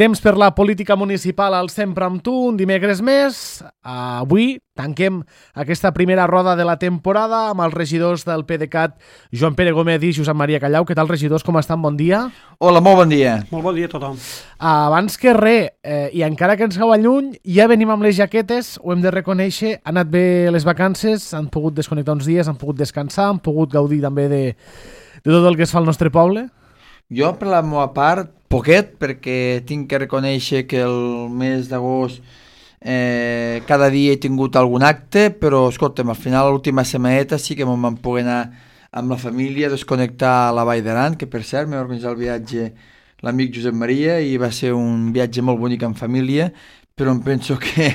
Temps per la política municipal al Sempre amb tu, un dimecres més. Avui tanquem aquesta primera roda de la temporada amb els regidors del PDeCAT, Joan Pere Gómez i Josep Maria Callau. Què tal, regidors? Com estan? Bon dia. Hola, molt bon dia. Molt bon dia a tothom. Abans que res, i encara que ens cau lluny, ja venim amb les jaquetes, ho hem de reconèixer, han anat bé les vacances, han pogut desconnectar uns dies, han pogut descansar, han pogut gaudir també de tot el que es fa al nostre poble. Jo, per la meva part, poquet, perquè tinc que reconèixer que el mes d'agost cada dia he tingut algun acte, però, escolta'm, al final, l'última setmaneta sí que me'n vam poder anar amb la família, desconnectar a la Vall d'Aran, que per cert m'ha organitzat el viatge l'amic Josep Maria i va ser un viatge molt bonic en família, però em penso que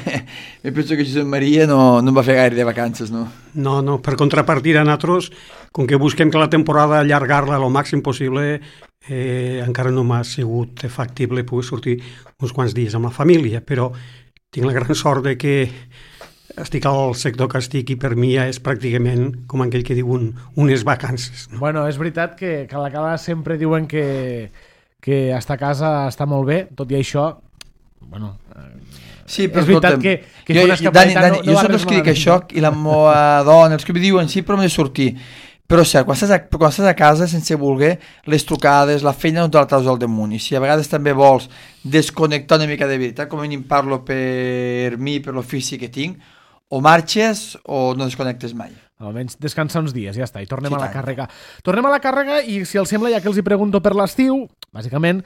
Josep Maria no em va fer gaire de vacances, no? No, per contrapartida nosaltres, com que busquem que la temporada allargar-la al màxim possible, encara no m'ha sigut factible poder sortir uns quants dies amb la família, però tinc la gran sort de que estic al sector que estic i per mi ja és pràcticament, com aquell que diu, unes vacances. No? Bueno, és veritat que a la Cala sempre diuen que estar a casa està molt bé, tot i això, bueno... Sí, però és veritat que fer una escapadeta Dani, jo soc els que dic això i la meva dona, els que mi diuen sí, però m'he de sortir. Però cert, quan estàs a casa sense voler, les trucades, la feina no te la traus al damunt, i si a vegades també vols desconnectar una mica de veritat, com a mínim parlo per mi, per l'ofici que tinc, o marxes o no desconnectes mai. Almenys descansar uns dies, ja està, i tornem a la càrrega. Tornem a la càrrega i, si els sembla, ja que els hi pregunto per l'estiu, bàsicament,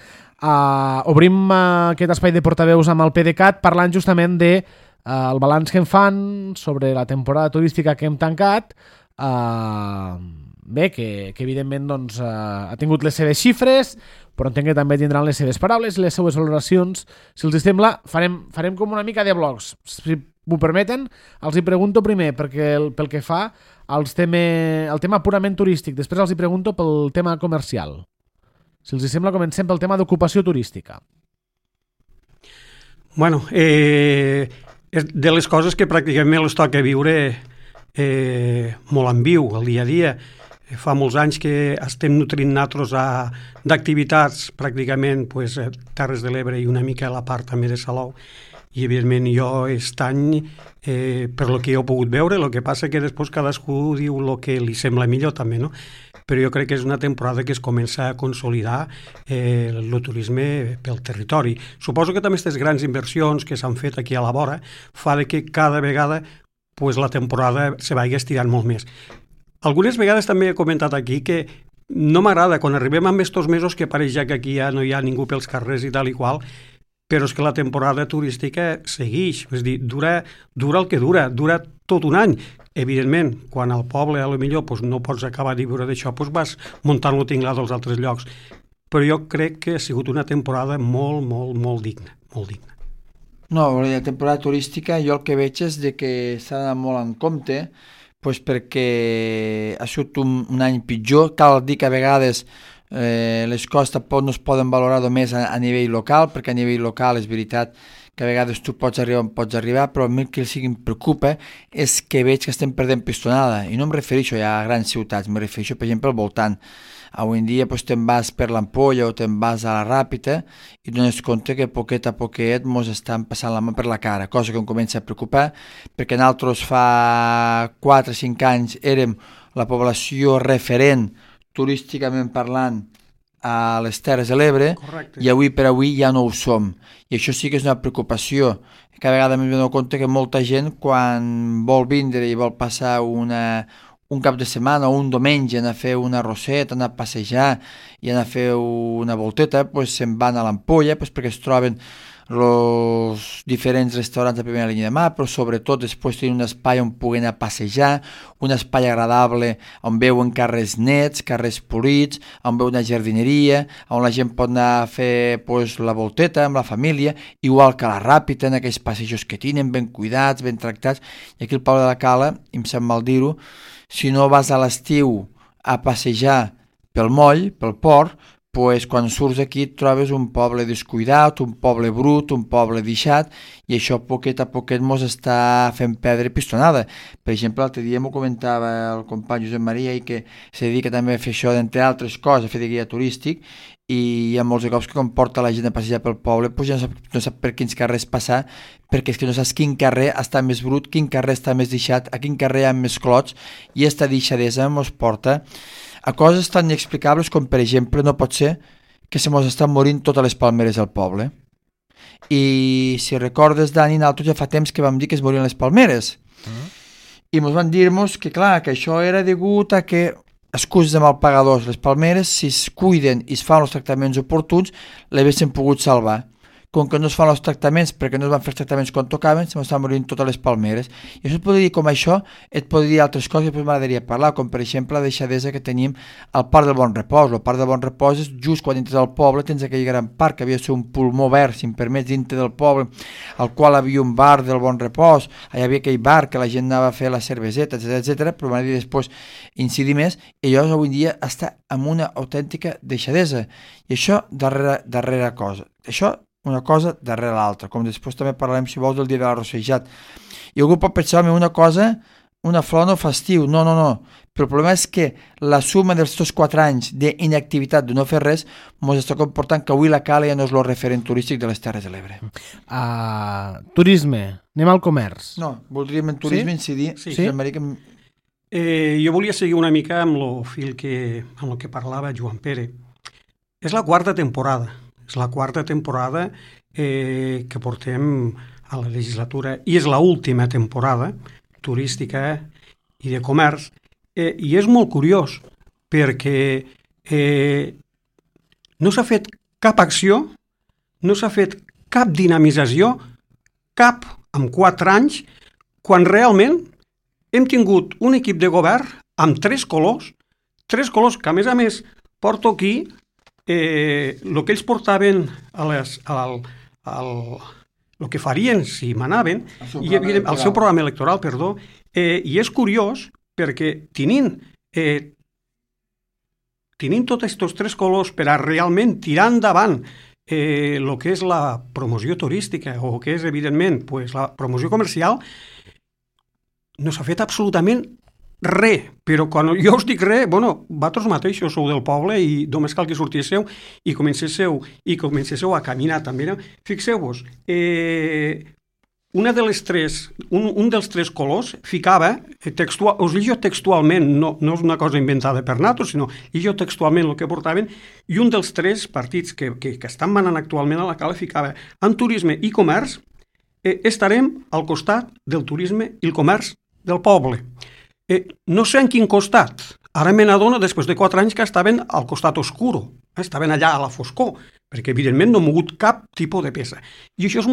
obrim aquest espai de portaveus amb el PDeCAT parlant justament de el balanç que en fan sobre la temporada turística que hem tancat, bé, que evidentment doncs, ha tingut les seves xifres, però entenc que també tindran les seves paraules i les seves valoracions. Si els sembla, farem com una mica de blocs. Si m'ho permeten, els hi pregunto primer pel que fa al tema purament turístic, després els hi pregunto pel tema comercial. Si els sembla, comencem pel tema d'ocupació turística. Bueno, de les coses que pràcticament les toca viure molt en viu, el dia a dia. Fa molts anys que estem nutrint nosaltres d'activitats pràcticament Terres de l'Ebre i una mica a la part també de Salou, i evidentment jo aquest any per lo que he pogut veure, el que passa que després cadascú diu el que li sembla millor també, no? Però jo crec que és una temporada que es comença a consolidar el turisme pel territori. Suposo que també aquestes grans inversions que s'han fet aquí a la vora fa que cada vegada la temporada se vagi estirant molt més. Algunes vegades també he comentat aquí que no m'agrada, quan arribem amb estos mesos que pareix ja que aquí ja no hi ha ningú pels carrers i tal i qual, però és que la temporada turística segueix, és dir, dura el que dura tot un any. Evidentment, quan al poble a lo millor no pots acabar de viure d'això, vas muntant-lo tinglat als altres llocs. Però jo crec que ha sigut una temporada molt, molt, molt digna, molt digna. No, la temporada turística jo el que veig és que s'ha d'anar molt en compte, perquè ha sigut un any pitjor. Cal dir que a vegades les coses tampoc no es poden valorar només a nivell local, perquè a nivell local és veritat que a vegades tu pots arribar, però a mi el que em preocupa és que veig que estem perdent pistonada, i no em refereixo ja a grans ciutats, em refereixo per exemple al voltant. Avui en dia te'n vas per l'Ampolla o te'n vas a la Ràpita i dones compte que poquet a poquet mos estan passant la mà per la cara, cosa que em comença a preocupar, perquè nosaltres fa 4 o 5 anys érem la població referent turísticament parlant a les Terres de l'Ebre. Correcte. I avui per avui ja no ho som, i això sí que és una preocupació. Cada vegada m'he donat compte que molta gent, quan vol vindre i vol passar un cap de setmana o un diumenge, anar a fer una roseta, anar a passejar i anar a fer una volteta, se'n van a l'Ampolla perquè es troben els diferents restaurants de primera línia de mà, però sobretot després tenen un espai on puguen anar a passejar, un espai agradable on veuen carrers nets, carrers polits, on veuen una jardineria, on la gent pot anar a fer la volteta amb la família, igual que a la Ràpita, en aquells passejos que tenen, ben cuidats, ben tractats. I aquí al Poble de la Cala, em sap mal dir-ho, si no vas a l'estiu a passejar pel moll, pel port, pues, quan surts aquí et trobes un poble descuidat, un poble brut, un poble deixat, i això poquet a poquet mos està fent perdre pistonada. Per exemple, l'altre dia m'ho comentava el company Josep Maria, i que se dedica també a fer això, d'entre altres coses, a fer de guia turístic, i hi ha molts cops que quan porta la gent a passejar pel poble pues ja no sap per quins carrers passar, perquè és que no saps quin carrer està més brut, quin carrer està més deixat, a quin carrer hi ha més clots, i esta deixadesa mos porta a coses tan inexplicables com, per exemple, no pot ser que se mos estan morint totes les palmeres del poble. I si recordes, Dani, nosaltres ja fa temps que vam dir que es morien les palmeres. I mos van dir-nos que, clar, que això era degut a que excuses de malpagadors, les palmeres, si es cuiden i es fan els tractaments oportuns, l'haguessin pogut salvar. Com que no es fan els tractaments perquè no es van fer els tractaments quan tocaven, se m'estan morint totes les palmeres. I això et podria dir com això, et podria dir altres coses que després m'agradaria parlar, com per exemple la deixadesa que tenim al Parc del Bon Repòs. El Parc del Bon Repòs és just quan entres al poble, tens aquell gran parc que havia de ser un pulmó verd, si em permets, dintre del poble, al qual havia un bar del Bon Repòs, hi havia aquell bar que la gent anava a fer la cerveseta, etc, però m'agradaria després incidir més, i allò avui dia està amb una autèntica deixadesa. I això darrere cosa. Això una cosa darrere l'altra, com després també parlarem, si vols, del dia de l'arrossejat. I algú pot pensar, una cosa, una flor no fa estiu, no, però el problema és que la suma dels 4 anys d'inactivitat, de no fer res, ens està comportant que avui la Cala ja no és el referent turístic de les Terres de l'Ebre. Turisme, anem al comerç. No, voldríem en turisme incidir. Sí. Jo volia seguir una mica amb el fil amb el que parlava Joan Pere. És la quarta temporada. És la quarta temporada que portem a la legislatura i és l'última temporada turística i de comerç. I és molt curiós perquè no s'ha fet cap acció, no s'ha fet cap dinamització, cap en 4 anys, quan realment hem tingut un equip de govern amb 3 colors que a més porto aquí el que ells portaven el que farien si manaven al seu programa electoral, i és curiós perquè tenint tots aquests 3 colors per a realment tirar endavant el que és la promoció turística o que és, evidentment, la promoció comercial, no s'ha fet absolutament res, però quan jo us dic res, vosaltres mateixos sou del poble i només cal que sortíssiu i comencéssiu a caminar també. Fixeu-vos, un dels 3 colors ficava, us llegio textualment, no és una cosa inventada per nosaltres, sinó llegio textualment el que portaven, i un dels 3 partits que estan manant actualment a la Cala ficava: en turisme i comerç estarem al costat del turisme i el comerç del poble. No sé en quin costat. Ara me n'adono, després de 4 anys, que estaven al costat oscuro, estaven allà a la foscor, perquè evidentment no ha mogut cap tipus de peça. I això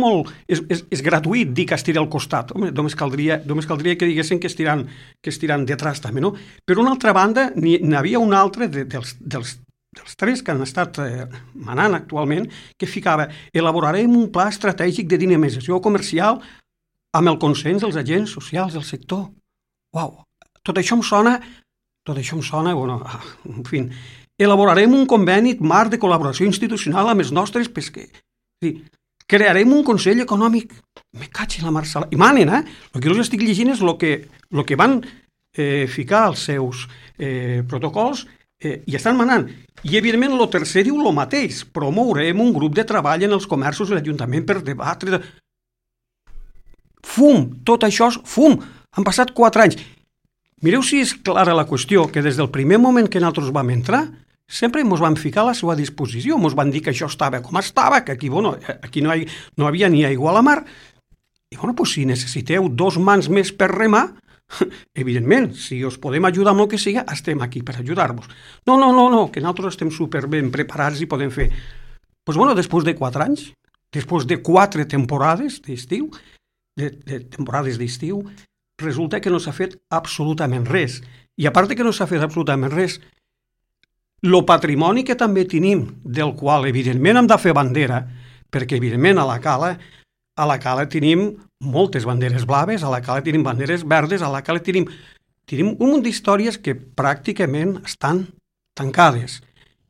és gratuït, dir que estiré al costat. Home, només caldria que diguessin que estiran detrás també, no? Per una altra banda, n'hi havia un altre dels 3 que han estat manant actualment, que ficava: elaborarem un pla estratègic de dinamització comercial amb el consens dels agents socials del sector. Uau! Tot això em sona, en fi, elaborarem un conveni marc de col·laboració institucional amb els nostres pesquers. Crearem un Consell Econòmic. Me caig en la Marcela. I manen, El que us estic llegint és el que van ficar als seus protocols i estan manant. I, evidentment, el tercer diu el mateix. Promourem un grup de treball en els comerços de l'Ajuntament per debatre. Fum! Tot això és fum! Han passat 4 anys. Mireu si és clara la qüestió, que des del primer moment que nosaltres vam entrar, sempre ens van ficar a la seva disposició, ens van dir que això estava com estava, que aquí no havia ni aigua a la mar, i si necessiteu 2 mans més per remar, evidentment, si us podem ajudar amb el que siga, estem aquí per ajudar-vos. No, que nosaltres estem superben preparats i podem fer. Després de 4 anys, després de 4 temporades d'estiu, resulta que no s'ha fet absolutament res. I a part que no s'ha fet absolutament res, el patrimoni que també tenim, del qual evidentment hem de fer bandera, perquè evidentment a la Cala tenim moltes banderes blaves, a la Cala tenim banderes verdes, a la Cala tenim un munt d'històries que pràcticament estan tancades.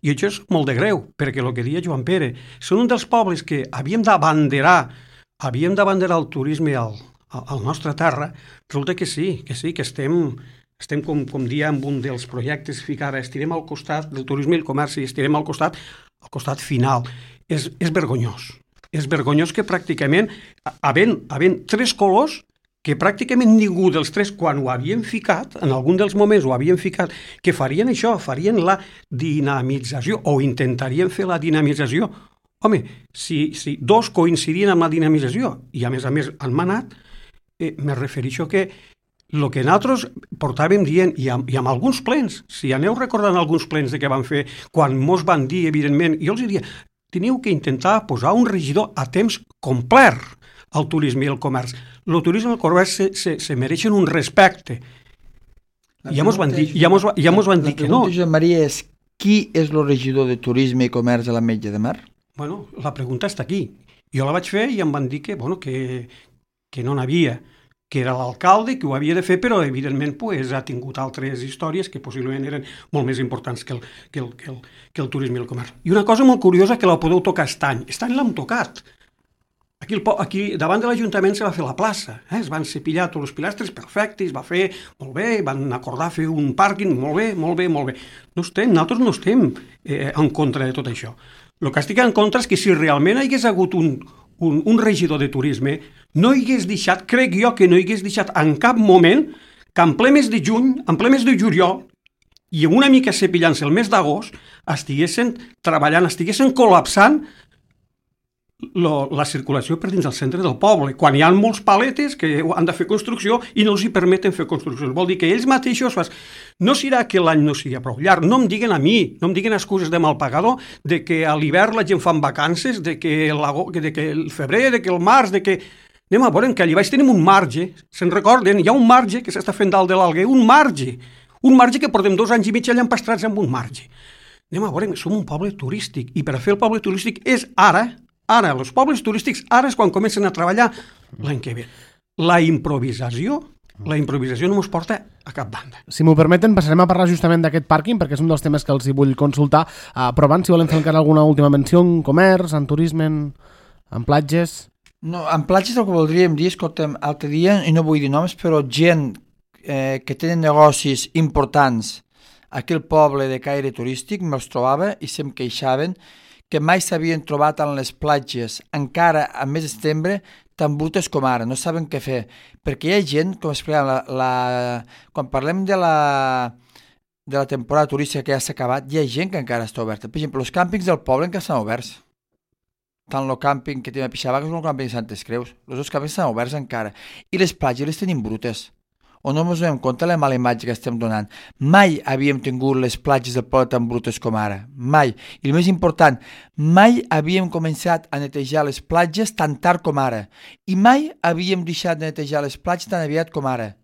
I això és molt de greu, perquè el que deia Joan Pere, són un dels pobles que havíem d'abanderar el turisme al nostre terra. Resulta que sí, que estem com dia en un dels projectes, ara estirem al costat del turisme i el comerç i estirem al costat final. És vergonyós. És vergonyós que pràcticament, havent tres colors, que pràcticament ningú dels tres, quan ho havien ficat, en algun dels moments ho havien ficat, que farien això, farien la dinamització, o intentarien fer la dinamització. Home, si dos coincidien amb la dinamització, i a més han manat, me refereixo que el que nosaltres portàvem dient, i amb alguns plens, si aneu recordant alguns plens que van fer, quan mos van dir, evidentment, jo els diria, teniu que intentar posar un regidor a temps complet al turisme i al comerç. El turisme i el comerç se mereixen un respecte. Ja mos van dir que no. La pregunta, Josep Maria, és qui és el regidor de turisme i comerç a l'Ametlla de Mar? Bueno, la pregunta està aquí. Jo la vaig fer i em van dir que no n'havia, que era l'alcalde, que ho havia de fer, però evidentment ha tingut altres històries que possiblement eren molt més importants que el turisme i el comerç. I una cosa molt curiosa que la podeu tocar estany. Estany l'hem tocat. Aquí davant de l'Ajuntament se va fer la plaça, es van cepillar tots els pilastres, perfecte, es va fer molt bé, van acordar fer un pàrquing, molt bé. Nosaltres no estem en contra de tot això. El que estic en contra és que si realment hi hagués hagut un regidor de turisme, no hi hagués deixat, crec jo que no hi hagués deixat en cap moment que en ple mes de juny, en ple mes de juliol, i una mica cepillant-se el mes d'agost, estiguessin treballant, estiguessin col·lapsant la circulació per dins el centre del poble, quan hi ha molts paletes que han de fer construcció i no els hi permeten fer construcció. Vol dir que ells mateixos no serà que l'any no sigui prou llarg, no em diguen a mi, no em diguen excuses de mal pagador, de que a l'hivern la gent fa vacances, de que el febrer, de que el març, de que... Anem a veure que allà baix tenim un marge, se'n recorden, hi ha un marge que s'està fent dalt de l'Alguer, un marge que portem 2 anys i mig allà empastrats amb un marge. Anem a veure, som un poble turístic i per a fer el poble turístic és ara, els pobles turístics, ara és quan comencen a treballar l'any que ve. La improvisació no ens porta a cap banda. Si m'ho permeten, passarem a parlar justament d'aquest pàrquing, perquè és un dels temes que els hi vull consultar. Però abans, si volen fer encara alguna última menció en comerç, en turisme, en platges... No, en platges el que voldríem dir, escolta'm, l'altre dia, i no vull dir noms, però gent que tenen negocis importants aquí al poble de caire turístic, me'ls trobava i se'm queixaven que mai s'havien trobat en les platges, encara al mes de setembre, tan brutes com ara, no saben què fer. Perquè hi ha gent, com explicàvem, quan parlem de la temporada turística que ja s'ha acabat, hi ha gent que encara està oberta. Per exemple, els càmpings del poble encara estan oberts. Tant el càmping que tenim a Pixabac com el càmping de Santes Creus. Els dos càmpings estan oberts encara. I les platges les tenim brutes. O no ens donem compte de la mala imatge que estem donant. Mai havíem tingut les platges del poble tan brutes com ara. Mai. I el més important, mai havíem començat a netejar les platges tan tard com ara. I mai havíem deixat de netejar les platges tan aviat com ara.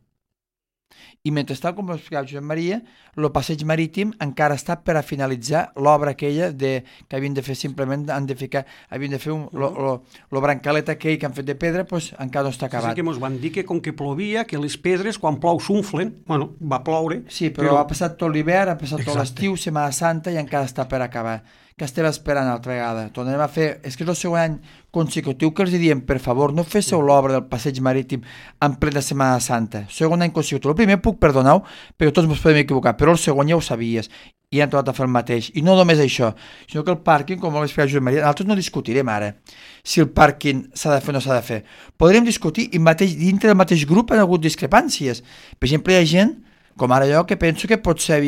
I mentrestant, com explicava Josep Maria, el passeig marítim encara està per a finalitzar l'obra aquella que havien de fer simplement, havien de fer el brancalet aquell que han fet de pedra, doncs encara no està acabat. Sí que ens van dir que com que plovia, que les pedres quan plou s'unflen, bueno, va ploure. Sí, però ha passat tot l'hivern, ha passat tot l'estiu, Setmana Santa i encara està per acabar. Que estem esperant altra vegada. Tornarem a fer... És que és el segon any consecutiu que els diem, per favor, no féssiu l'obra del passeig marítim en plena Setmana Santa. Segon any consecutiu. El primer puc perdonar-ho, perquè tots ens podem equivocar, però el segon ja ho sabies i han trobat a fer el mateix. I no només això, sinó que el pàrquing, com ho va explicar Josep Maria, nosaltres no discutirem ara si el pàrquing s'ha de fer o no s'ha de fer. Podríem discutir i dintre del mateix grup han hagut discrepàncies. Per exemple, hi ha gent, com ara jo, que penso que potser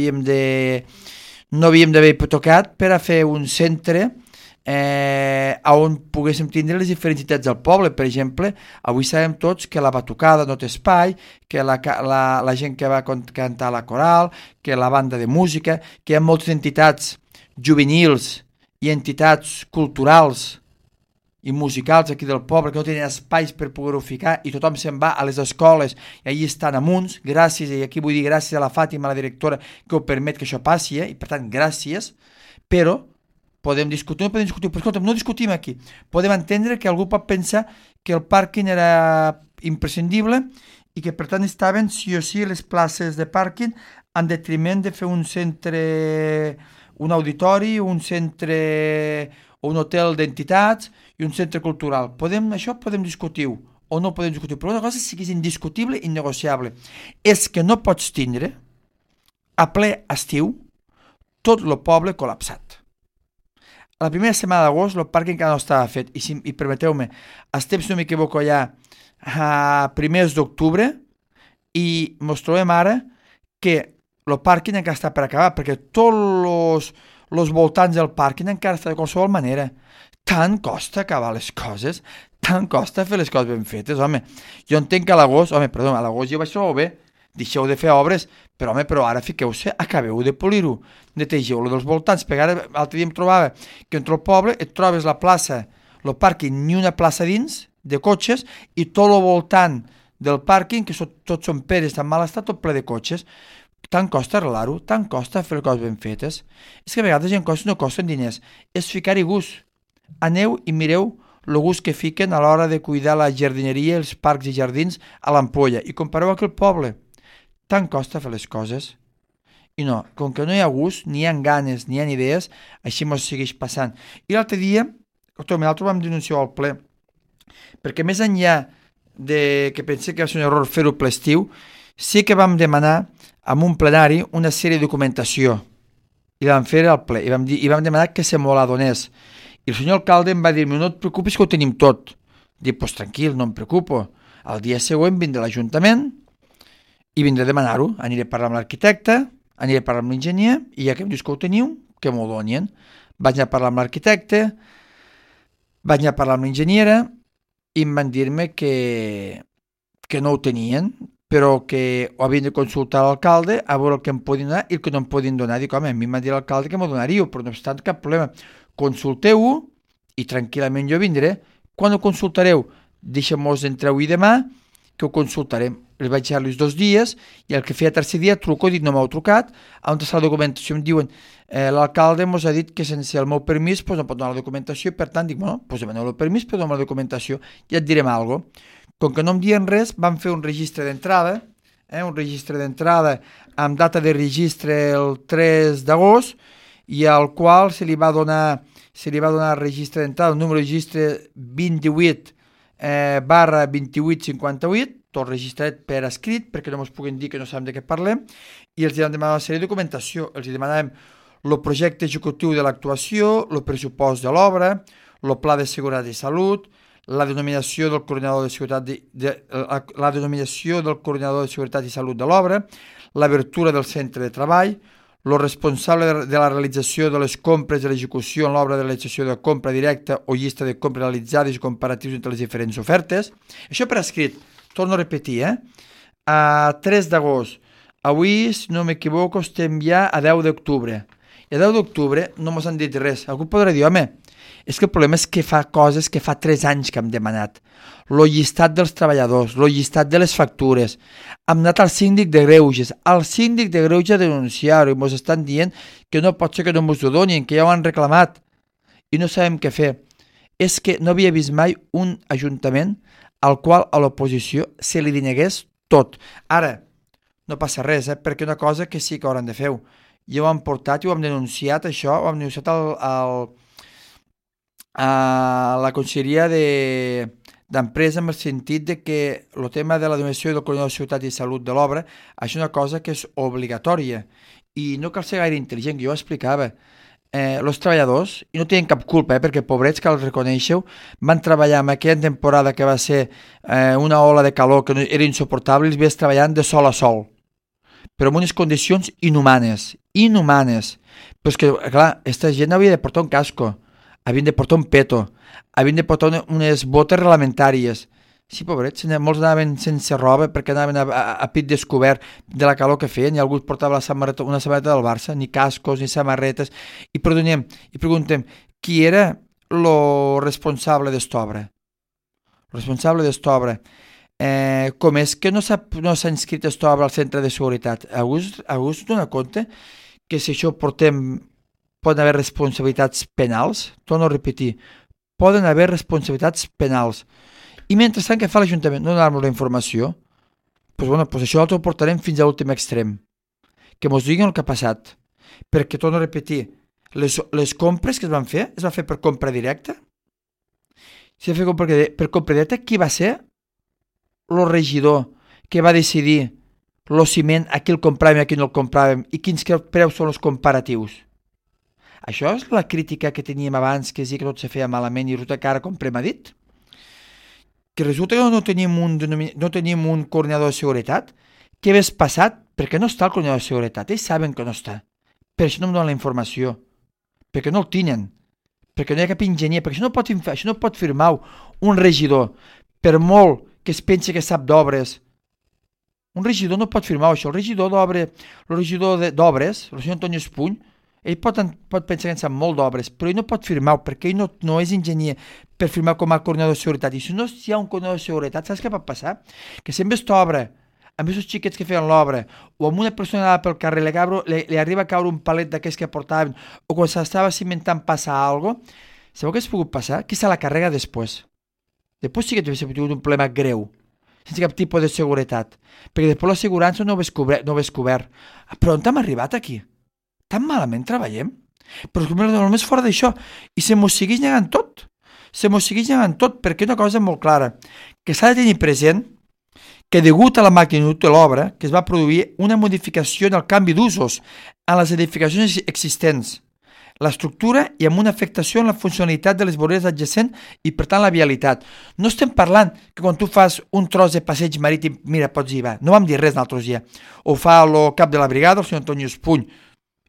no havíem d'haver tocat per a fer un centre on poguéssim tindre les diferents entitats del poble. Per exemple, avui sabem tots que la batucada no té espai, que la gent que va cantar a la coral, que la banda de música, que hi ha moltes entitats juvenils i entitats culturals i musicals aquí del poble que no tenen espais per poder-ho ficar i tothom se'n va a les escoles i allà estan amunts, gràcies, i aquí vull dir gràcies a la Fàtima, la directora, que ho permet que això passi, i per tant gràcies, però podem discutir, però escolta'm, no discutim aquí, podem entendre que algú pot pensar que el pàrquing era imprescindible i que per tant estaven sí o sí les places de pàrquing en detriment de fer un centre un auditori, un centre o un hotel d'entitats i un centre cultural. Això podem discutir-ho o no podem discutir, però una cosa sí que és indiscutible i innegociable és que no pots tindre a ple estiu tot el poble col·lapsat. A la primera setmana d'agost el parc encara no estava fet i permeteu-me, estem, si no m'equivoco, ja a primers d'octubre i ens trobem ara que el pàrquing encara està per acabar, perquè tots els voltants del pàrquing encara està de qualsevol manera. Tant costa acabar les coses, tant costa fer les coses ben fetes, home. Jo entenc que a l'agost jo vaig trobar bé, deixeu de fer obres, però ara fiqueu-se, acabeu de polir-ho, netegeu-lo dels voltants, perquè ara l'altre dia em trobava que entre el poble et trobes la plaça, el pàrquing, ni una plaça dins de cotxes, i tot el voltant del pàrquing, que tots són peres en mal estat, tot ple de cotxes. Tant costa arreglar-ho, tant costa fer coses ben fetes. És que a vegades hi ha coses que no costen diners, és ficar-hi gust. Aneu i mireu el gust que fiquen a l'hora de cuidar la jardineria, els parcs i jardins a l'Ampolla, i compareu aquell poble. Tant costa fer les coses. I no, com que no hi ha gust, ni hi ha ganes, ni hi ha idees, així mos segueix passant. I l'altre dia, l'altre vam denunciar al ple, perquè més enllà de que pensé que va ser un error fer-ho ple estiu, sí que vam demanar en un plenari una sèrie de documentació i vam fer al ple i vam demanar que se m'ho la donés i el senyor alcalde em va dir-me no et preocupis que ho tenim tot. Dic, pues tranquil, no em preocupo, el dia següent vindré a l'Ajuntament i vindré a demanar-ho, aniré a parlar amb l'arquitecte, aniré a parlar amb l'enginyer i ja que em dius que ho teniu, que m'ho donien. Vaig anar a parlar amb l'arquitecte, vaig anar a parlar amb l'enginyera i em van dir-me que no ho tenien, però que ho havien de consultar a l'alcalde a veure el que em podien donar i el que no em podien donar. Dic, home, a mi m'ha dit l'alcalde que m'ho donaríeu, però no obstant cap problema. Consulteu-ho i tranquil·lament jo vindré. Quan ho consultareu? Deixem-nos entre avui i demà, que ho consultarem. Els vaig deixar-los 2 dies i el que feia tercer dia truco, dic, no m'heu trucat, on està la documentació? Em diuen, l'alcalde ens ha dit que sense el meu permís pues, no pot donar la documentació i per tant dic, bueno, pues demaneu el permís per donar la documentació i et direm alguna cosa. Com que no em diuen res, vam fer un registre d'entrada, amb data de registre el 3 d'agost i al qual se li va donar registre d'entrada, el número de registre 28 /2858, tot registrat per escrit, perquè no ens puguin dir que no sabem de què parlem, i els vam demanar una sèrie de documentació. Els demanàvem el projecte executiu de l'actuació, el pressupost de l'obra, el pla de seguretat i salut, la denominació del coordinador de seguretat i salut de l'obra, l'obertura del centre de treball, el responsable de la realització de les compres de l'execució en l'obra de realització de compra directa o llista de compres realitzades i comparatius entre les diferents ofertes. Això per escrit, torno a repetir, a 3 d'agost. Avui, si no m'equivoco, estem ja a 10 d'octubre. I a 10 d'octubre no mos han dit res. Algú podrà dir, home, és que el problema és que fa coses que fa 3 anys que hem demanat. Lo llistat dels treballadors, lo llistat de les factures. Hem anat al síndic de Greuges. Al síndic de Greuges a denunciar-ho i ens estan dient que no pot ser que no ens ho donin, que ja ho han reclamat i no sabem què fer. És que no havia vist mai un ajuntament al qual a l'oposició se li denegués tot. Ara, no passa res, perquè una cosa que sí que hauran de fer. Ja ho han portat i ho hem denunciat, això, ho hem denunciat a la Conselleria d'Empresa en el sentit de que el tema de la donació del coordinador de seguretat i salut de l'obra és una cosa que és obligatòria i no cal ser gaire intel·ligent, que jo ho explicava. Els treballadors, i no tenen cap culpa, perquè pobrets, que els reconeixeu, van treballar en aquella temporada que va ser una ola de calor que era insuportable, els veies treballant de sol a sol, però en unes condicions inhumanes. Però és que, clar, aquesta gent havia de portar un casco, havien de portar un peto, havien de portar unes botes reglamentàries. Sí, pobrets, molts anaven sense roba perquè anaven a pit descobert de la calor que feien i algú portava una samarreta del Barça, ni cascos ni samarretes, i preguntem qui era el responsable d'esta obra? El responsable d'esta obra. Com és que no s'ha inscrit aquesta obra al centre de seguretat? Algú es dona compte que si això poden haver responsabilitats penals? Torno a repetir, poden haver responsabilitats penals. I mentrestant, què fa l'Ajuntament? No donar-nos la informació? Doncs això ho portarem fins a l'últim extrem. Que mos diguin el que ha passat. Perquè, torno a repetir, Les compres que es van fer per compra directa? Si es va fer per compra directa, qui va ser el regidor que va decidir el ciment, a qui el compràvem i a qui no el compràvem, i quins preus són els comparatius? Això és la crítica que teníem abans, que sí que tot se feia malament i resulta que ara comprem a dit? Que resulta que no tenim un coordinador de seguretat? Què hagués passat? Perquè no està el coordinador de seguretat, ells saben que no està. Per això no em donen la informació, perquè no el tenen, perquè no hi ha cap enginyer, perquè això no pot firmar un regidor, per molt que es pensi que sap d'obres. Un regidor no pot firmar això. El regidor d'obres, el senyor Antoni Espuny, ell pot pensar que en sap molt d'obres, però ell no pot firmar perquè ell no és enginyer per firmar com a coordinador de seguretat. I si no hi ha un coordinador de seguretat, saps què pot passar? Que si en aquesta obra, amb aquests xiquets que feien l'obra, o amb una persona anava pel carrer, li arriba a caure un palet d'aquells que portaven, o quan s'estava cimentant passa alguna cosa, sabeu què has pogut passar? Qui se la carrega després? Després sí que t'hauria tingut un problema greu, sense cap tipus de seguretat, perquè després l'assegurança no ho hagués cobert. Però on hem arribat aquí? Tan malament treballem? Però només fora d'això, i se mos segueix negant tot. Perquè una cosa molt clara, que s'ha de tenir present que degut a la magnitud de l'obra que es va produir una modificació en el canvi d'usos en les edificacions existents, l'estructura i amb una afectació en la funcionalitat de les voreres adjacents i per tant la vialitat. No estem parlant que quan tu fas un tros de passeig marítim, mira, pots ir, va, no vam dir res l'altre dia, ho fa el cap de la brigada, el senyor Antoni Espuny,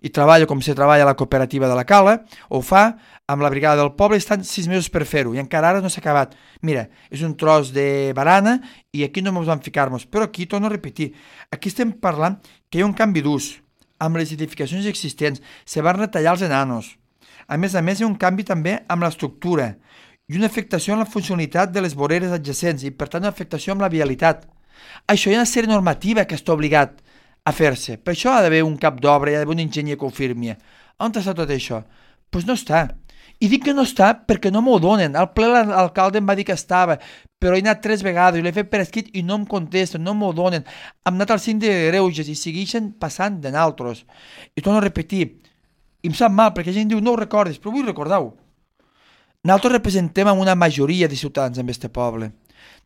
i treballa com se treballa a la cooperativa de la Cala, ho fa amb la brigada del poble, estan 6 mesos per fer-ho, i encara ara no s'ha acabat. Mira, és un tros de barana, i aquí no ens vam ficar-nos, però aquí, torno a repetir, aquí estem parlant que hi ha un canvi d'ús, amb les edificacions existents, se van retallar els enanos. A més, hi ha un canvi també amb l'estructura, i una afectació en la funcionalitat de les voreres adjacents, i per tant una afectació amb la vialitat. Això hi ha una sèrie normativa que està obligat a fer-se. Per això ha d'haver un cap d'obra, hi ha d'haver un enginyer que ho firmi. On està tot això? Doncs no està. I dic que no està perquè no m'ho donen. Al ple l'alcalde em va dir que estava, però he anat 3 vegades, l'he fet per escrit i no em contesten, no m'ho donen. Hem anat al síndic de Greuges i segueixen passant de naltros. I torno a repetir, i em sap mal perquè la gent diu no ho recordis, però vull recordar-ho. Nosaltres representem amb una majoria de ciutadans en este poble.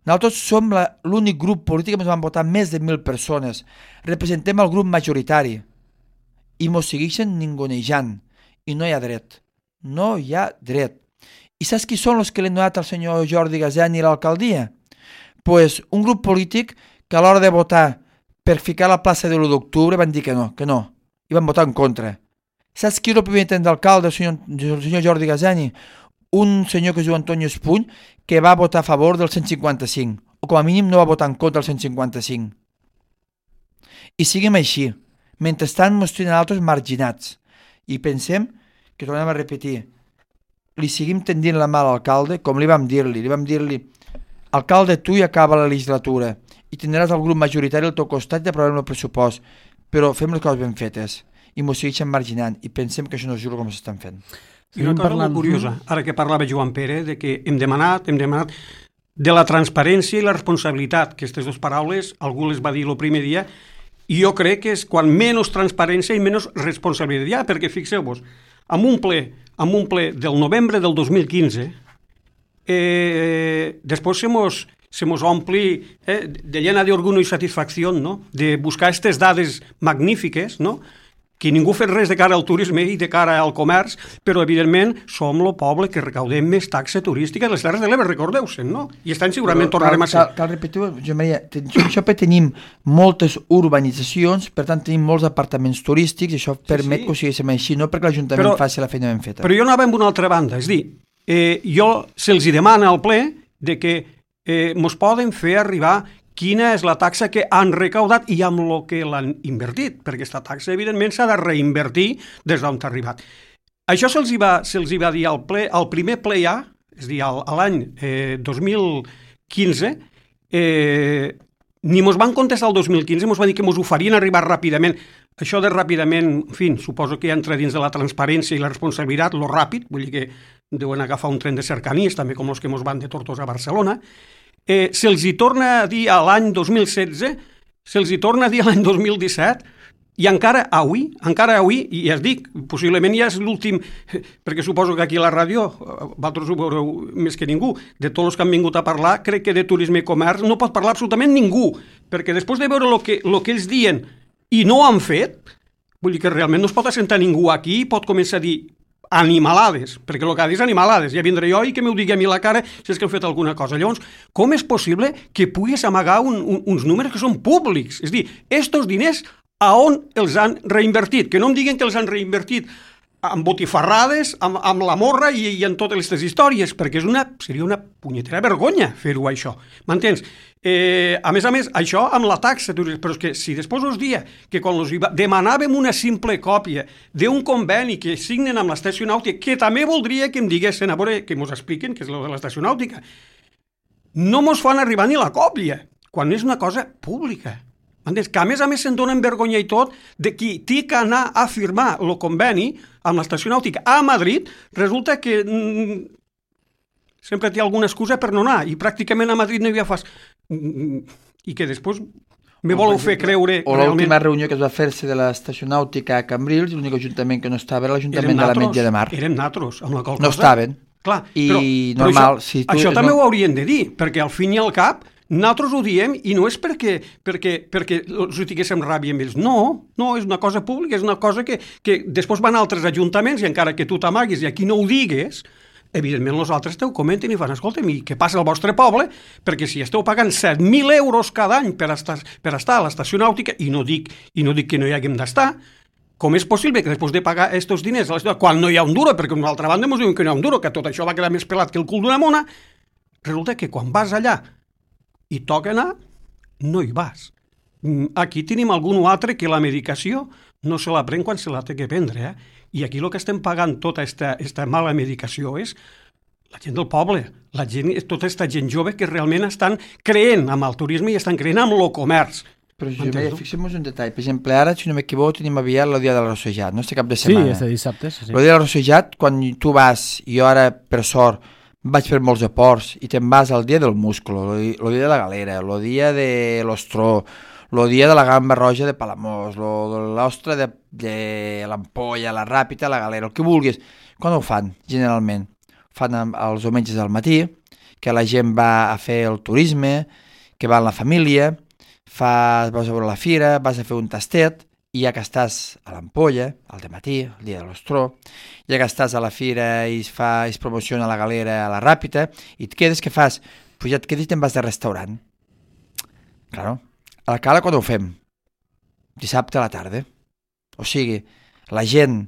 Nosaltres som l'únic grup polític que ens van votar més de 1.000 persones. Representem el grup majoritari. I mos segueixen ningunejant. I no hi ha dret. No hi ha dret. I saps qui són els que l'han donat al senyor Jordi Gazani a l'alcaldia? Pues un grup polític que a l'hora de votar per ficar la plaça de l'1 d'octubre van dir que no. I van votar en contra. Saps qui era el primer intent d'alcalde, el senyor Jordi Gazani? Un senyor que es diu Antoni Espuny, que va votar a favor del 155, o com a mínim no va votar en contra del 155. I seguim així. Mentrestant ens tenen altres marginats. I pensem que, tornem a repetir, li seguim tendint la mà a l'alcalde, com li vam dir-li, alcalde, tu hi acaba la legislatura i tindràs el grup majoritari al teu costat i aprovarem el pressupost, però fem les coses ben fetes. I ens segueixen marginant i pensem que això no és just com s'estan fent. I una cosa molt curiosa, ara que parlava Joan Pere, de que hem demanat de la transparència i la responsabilitat, que aquestes dues paraules algú les va dir el primer dia, i jo crec que és quan menys transparència i menys responsabilitat hi ha, perquè fixeu-vos, amb un ple del novembre del 2015, després se mos ompli de llena d'orgull i satisfacció, no? De buscar aquestes dades magnífiques, no? Que ningú fa res de cara al turisme i de cara al comerç, però evidentment som el poble que recaudem més taxa turística de les Terres de l'Ebre, recordeu-se'n, no? I estan segurament tornarem a ser. Cal repetir, Joan Maria, això tenim moltes urbanitzacions, per tant tenim molts apartaments turístics, i això permet que ho siguéssim així, no perquè l'Ajuntament faci la feina ben feta. Però jo anava amb una altra banda, és dir, jo se'ls demana al ple de que mos poden fer arribar quina és la taxa que han recaudat i amb el que l'han invertit, perquè aquesta taxa, evidentment, s'ha de reinvertir des d'on ha arribat. Això se'ls va dir al primer ple ja, és a dir, a l'any 2015, ni mos van contestar el 2015, mos van dir que mos ho farien arribar ràpidament. Això de ràpidament, en fi, suposo que entra dins de la transparència i la responsabilitat, lo ràpid, vull dir que deuen agafar un tren de cercanies, també com els que mos van de Tortosa a Barcelona. Se'ls hi torna a dir a l'any 2016, se'ls hi torna a dir a l'any 2017, I encara avui, i ja es dic, possiblement ja és l'últim, perquè suposo que aquí a la ràdio, vosaltres ho veureu més que ningú, de tots els que han vingut a parlar, crec que de turisme i comerç no pot parlar absolutament ningú, perquè després de veure el que ells diuen i no han fet, vull dir que realment no es pot assentar ningú aquí i pot començar a dir animalades, perquè el que ha dit és animalades, ja vindré jo i que m'ho digui a mi la cara si és que heu fet alguna cosa. Llavors, com és possible que puguis amagar uns números que són públics? És a dir, estos diners a on els han reinvertit? Que no em diguen que els han reinvertit amb botifarrades, amb la morra i en totes aquestes històries, perquè seria una punyetera vergonya fer-ho això. M'entens? A més, això amb la taxa, però és que si després us dia que quan els demanàvem una simple còpia d'un conveni que signen amb l'estació nàutica, que també voldria que em diguessin, a veure, que mos expliquen què és el de l'estació nàutica, no mos fan arribar ni la còpia, quan és una cosa pública. Que a més se'n donen vergonya i tot de qui té que anar a firmar el conveni amb l'estació nàutica a Madrid, resulta que sempre té alguna excusa per no anar i pràcticament a Madrid no hi ha fas i que després me voleu fer creure o realment... l'última reunió que es va fer-se de l'estació nàutica a Cambrils, l'únic ajuntament que no estava era l'Ajuntament de la Metge de Mar. Érem natros, amb la qual cosa. No estaven. Clar, i però normal, això també ho haurien de dir, perquè al fin i al cap nosaltres ho diem i no és perquè els tinguéssim ràbia amb ells. No, és una cosa pública, és una cosa que després van a altres ajuntaments i encara que tu t'amaguis i aquí no ho digues, evidentment els altres t'ho comenten i fan, escolta'm, i què passa al vostre poble? Perquè si esteu pagant 7.000 euros cada any per estar a l'estació nàutica, i no dic que no hi haguem d'estar, com és possible que després de pagar aquests diners a la ciutat, quan no hi ha un duro, perquè d'una altra banda ens diuen que no hi ha un duro, que tot això va quedar més pelat que el cul d'una mona, resulta que quan vas allà i toca anar, no hi vas. Aquí tenim algun altre que la medicació no se la pren quan se la té que prendre, I aquí el que estem pagant tota esta mala medicació és la gent del poble, tota aquesta gent jove que realment estan creent amb el turisme i estan creent amb el comerç. Però fixem-nos un detall. Per exemple, ara, si no m'equivoco, tenim aviat el dia del Rossejat, no? Este cap de setmana. Sí, este dissabte. Sí. El dia del Rossejat, quan tu vas, jo ara, per sort, vaig fer molts aports i te'n vas al dia del músculo, el dia de la galera, el dia de l'ostró, el dia de la gamba roja de Palamós, l'ostra de l'ampolla, la ràpita, la galera, el que vulguis. Quan ho fan, generalment? Ho fan els diumenges al matí, que la gent va a fer el turisme, que va amb la família, vas a veure la fira, vas a fer un tastet, i ja que estàs a l'ampolla, al dematí, el dia de l'ostró, ja que estàs a la fira i es promociona la galera a la ràpida, i et quedes, què fas? Pues ja et quedes i te'n vas de restaurant. Claro. A la cala quan ho fem? Dissabte a la tarda. O sigui, la gent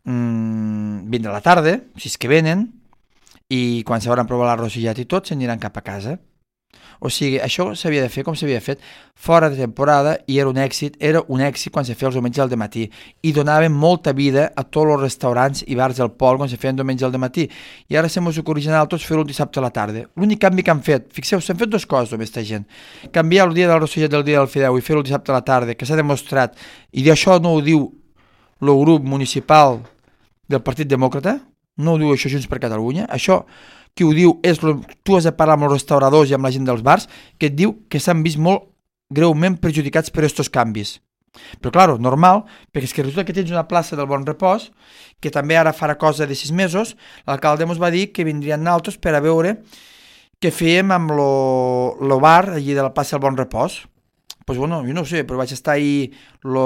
vindrà a la tarda, si és que venen, i quan s'hauran provat l'arrossillat i tot, s'aniran cap a casa. O sigui, això s'havia de fer com s'havia fet fora de temporada i era un èxit quan se feia els diumenges al dematí i donaven molta vida a tots els restaurants i bars del poble quan se feien diumenges al dematí i ara se mos ocorreix a tots fer-ho el dissabte a la tarda. L'únic canvi que han fet, fixeu, s'han fet dues coses amb aquesta gent, canviar el dia del Rossellet del dia del Fideu i fer-ho el dissabte a la tarda, que s'ha demostrat, i d'això no ho diu el grup municipal del Partit Demòcrata, no ho diu això Junts per Catalunya, això qui ho diu és, tu has de parlar amb els restauradors i amb la gent dels bars, que et diu que s'han vist molt greument perjudicats per aquests canvis. Però, clar, normal, perquè és que resulta que tens una plaça del Bon Repòs, que també ara farà cosa de 6 mesos, l'alcalde ens va dir que vindrien naltros per a veure què fèiem amb el bar allí de la plaça del Bon Repòs. Doncs, bueno, jo no ho sé, però vaig estar ahir el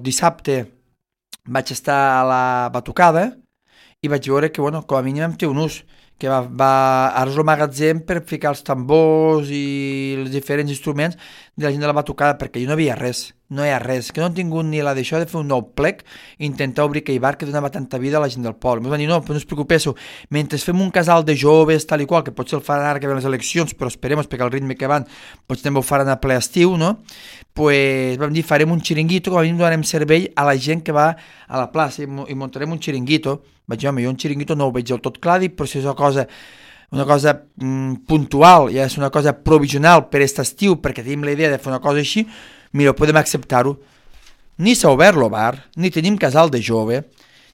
dissabte, vaig estar a la batucada i vaig veure que, bueno, com a mínim em té un ús, que ara és el magatzem per ficar els tambors i els diferents instruments de la gent de la batucada, perquè allà no hi ha res, que no han tingut ni la d'això de fer un nou plec i intentar obrir aquell bar que donava tanta vida a la gent del poble. Em van dir, no, però no us preocupéssiu, mentre fem un casal de joves, tal i qual, que potser el faran ara que ven les eleccions, però esperem, perquè el ritme que van, potser també ho faran a ple estiu, no? Pues vam dir, farem un xiringuito, com a mínim donarem servei a la gent que va a la plaça i muntarem un xiringuito. Vaig dir, home, jo un xiringuito no ho veig del tot clar, però si és una cosa puntual, ja és una cosa provisional per aquest estiu, perquè tenim la idea de fer una cosa així, mira, podem acceptar-ho. Ni s'ha obert el bar, ni tenim casal de jove,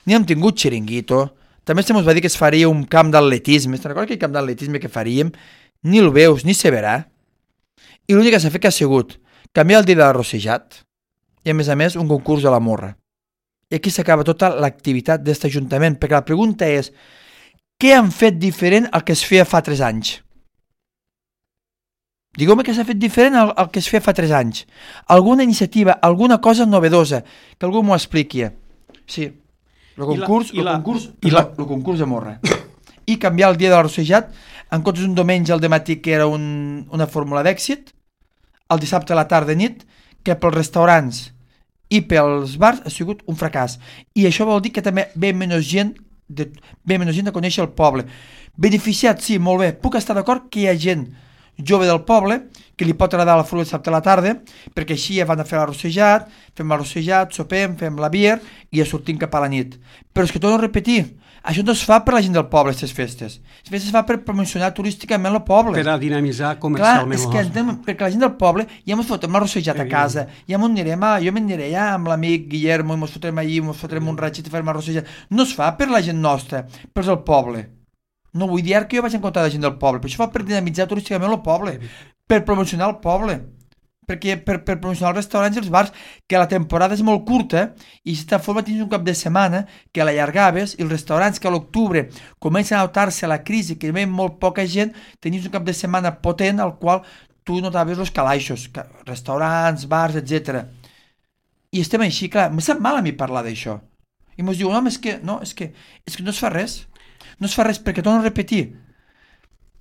ni hem tingut xiringuito, també se mos va dir que es faria un camp d'atletisme, te'n recordes aquell camp d'atletisme que faríem? Ni el veus, ni se verà. I l'únic que s'ha fet que ha sigut canviar el dia de l'arrossejat, i a més un concurs de la morra. I aquí s'acaba tota l'activitat d'aquest ajuntament, perquè la pregunta és què han fet diferent al que es feia fa 3 anys? Digueu-me què s'ha fet diferent al que es feia fa 3 anys. Alguna iniciativa, alguna cosa novedosa, que algú m'ho expliqui. Sí, el concurs de morra. I canviar el dia de l'arrossejat, en comptes d'un diumenge al dematí que era una fórmula d'èxit, el dissabte a la tarda nit, que pels restaurants i pels bars ha sigut un fracàs. I això vol dir que també ve menys gent de conèixer el poble. Beneficiat, sí, molt bé. Puc estar d'acord que hi ha gent jove del poble que li pot agradar la fruita dissabte a la tarda, perquè així ja van a fer l'arrossejat, fem l'arrossejat, sopem, fem la bier i ja sortim cap a la nit. Però és que torno a repetir, això no es fa per la gent del poble, aquestes festes. Les festes es fa per promocionar turísticament el poble. Per a dinamitzar comercialment. Clar, és que perquè la gent del poble ja ens fotem l'arrossejat a casa, ja jo m'aniré ja amb l'amic Guillermo i ens fotrem allí, ens fotrem un raig i farem l'arrossejat. No es fa per la gent nostra, però és el poble. No vull dir que jo vaig en contra de la gent del poble, però això fa per dinamitzar turísticament el poble, per promocionar el poble, perquè per promocionar els restaurants i els bars, que la temporada és molt curta i d'esta forma tens un cap de setmana que l'allargaves i els restaurants que a l'octubre comencen a notar-se la crisi, que hi ha molt poca gent, tenies un cap de setmana potent al qual tu notaves els calaixos, restaurants, bars, etc. I estem així, clar, em sap mal a mi parlar d'això. I ens diuen, és que no es fa res. No es fa res perquè torno a repetir.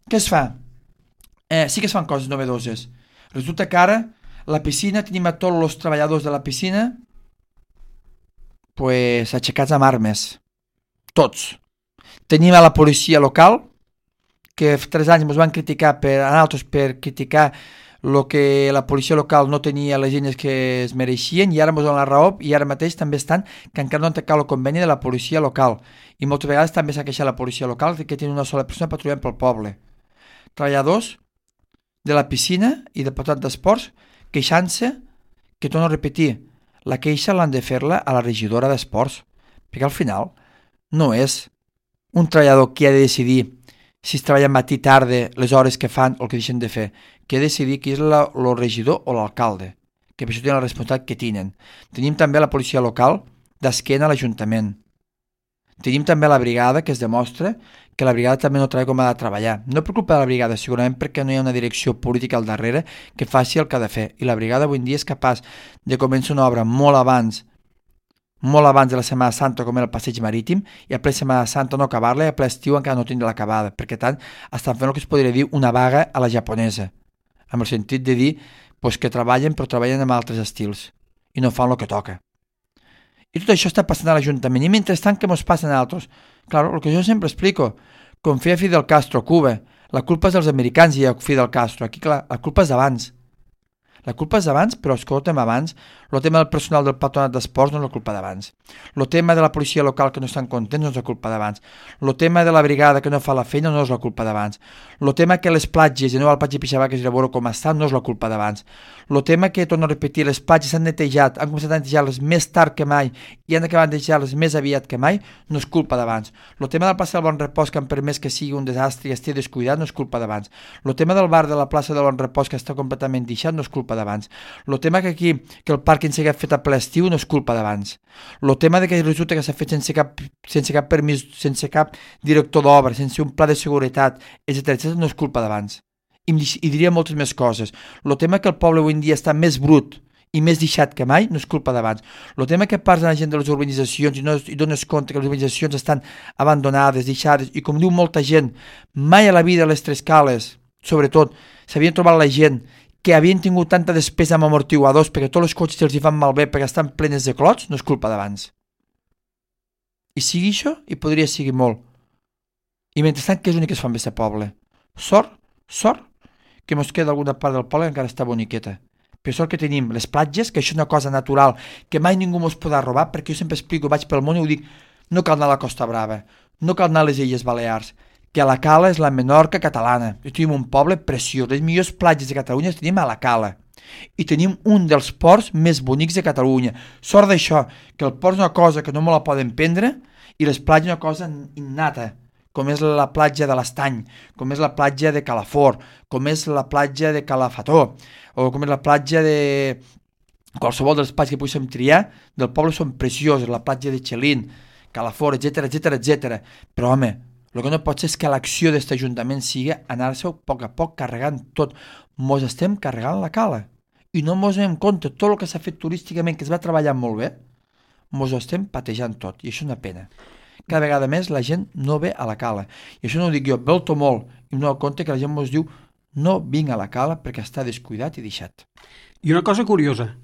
Què es fa? Sí que es fan coses novedoses. Resulta que ara la piscina, tenim a tots els treballadors de la piscina aixecats amb armes. Tots. Tenim a la policia local, que fa 3 anys ens van criticar a nosaltres per criticar el que la policia local no tenia les eines que es mereixien, i ara ens donen la raó, i ara mateix també estan que encara no han tancat el conveni de la policia local, i moltes vegades també s'ha queixat la policia local que té una sola persona patrullant pel poble. Treballadors de la piscina i del patat d'esports queixant-se, que torno a repetir, la queixa l'han de fer-la a la regidora d'esports, perquè al final no és un treballador qui ha de decidir si es treballa matí, tarda, les hores que fan o el que deixen de fer, que ha de decidir qui és el regidor o l'alcalde, que per això tenen la responsabilitat que tenen. Tenim també la policia local d'esquena a l'Ajuntament. Tenim també la brigada, que es demostra que la brigada també no treballa com ha de treballar. No per culpa de la brigada, segurament perquè no hi ha una direcció política al darrere que faci el que ha de fer. I la brigada avui en dia és capaç de començar una obra molt abans de la Setmana Santa, com era el passeig marítim, i a ple Setmana Santa no acabar-la, i a ple estiu encara no tindre l'acabada, perquè tant estan fent el que es podria dir una vaga a la japonesa, amb el sentit de dir que treballen, però treballen amb altres estils, i no fan el que toca. I tot això està passant a l'Ajuntament, i mentrestant, què ens passa a nosaltres? Claro, el que jo sempre explico, com feia Fidel Castro a Cuba, la culpa és dels americans i a Fidel Castro, aquí clar, la culpa és d'abans. La culpa és d'abans, però escolta'm, abans, el tema del personal del patronat d'esports no és la culpa d'abans. El tema de la policia local que no estan contents no és la culpa d'abans. El tema de la brigada que no fa la feina no és la culpa d'abans. El tema que les platges, de nou al platge Pixabaques i a veure com estan, no és la culpa d'abans. El tema que, torno a repetir, les platges s'han netejat, han començat a netejar-les més tard que mai i han acabat de netejar-les més aviat que mai, no és culpa d'abans. El tema de la plaça del Bon Repòs, que han permès que sigui un desastre i estigui descuidat, no és culpa d'abans. El tema del bar de la plaça del Bon Repòs, que està completament deixat, no és culpa d'abans. El tema que aquí, que el pàrquing s'ha fet a ple estiu, no és culpa d'abans. El tema de que resulta que s'ha fet sense cap permís, sense cap director d'obra, sense un pla de seguretat, etc., no és culpa d'abans. I diria moltes més coses. El tema que el poble avui en dia està més brut i més deixat que mai, no és culpa d'abans. El tema que parla la gent de les urbanitzacions i dones compte que les urbanitzacions estan abandonades, deixades, i com diu molta gent, mai a la vida a les Tres Cales, sobretot, s'havien trobat la gent que havien tingut tanta despesa amb amortiguadors perquè tots els cotxes els hi fan malbé perquè estan plenes de clots, no és culpa d'abans. I sigui això, i podria seguir molt. I mentrestant, què és l'únic que es fa amb aquest poble? Sort, que mos queda alguna part del poble que encara està boniqueta. Per sort que tenim les platges, que això és una cosa natural, que mai ningú mos podrà robar, perquè jo sempre explico, vaig pel món i ho dic, no cal anar a la Costa Brava, no cal anar a les Illes Balears, que la Cala és la Menorca catalana. I tenim un poble preciós. Les millors platges de Catalunya les tenim a la Cala. I tenim un dels ports més bonics de Catalunya. Sort d'això, que el port és una cosa que no me la poden prendre i les platges una cosa innata, com és la platja de l'Estany, com és la platja de Calafort, com és la platja de Calafató, o com és la platja de qualsevol dels espais que poguéssim triar del poble són preciosos, la platja de Xelín, Calafort, etc. Però, home, el que no pot ser és que l'acció d'aquest ajuntament sigui anar-se a poc carregant tot. Mos estem carregant la cala i no mos donem compte. Tot el que s'ha fet turísticament, que es va treballar molt bé, mos ho estem patejant tot, i això és una pena. Cada vegada més la gent no ve a la cala. I això no ho dic jo, ve-ho molt, i no dono compte que la gent mos diu no vinc a la cala perquè està descuidat i deixat. I una cosa curiosa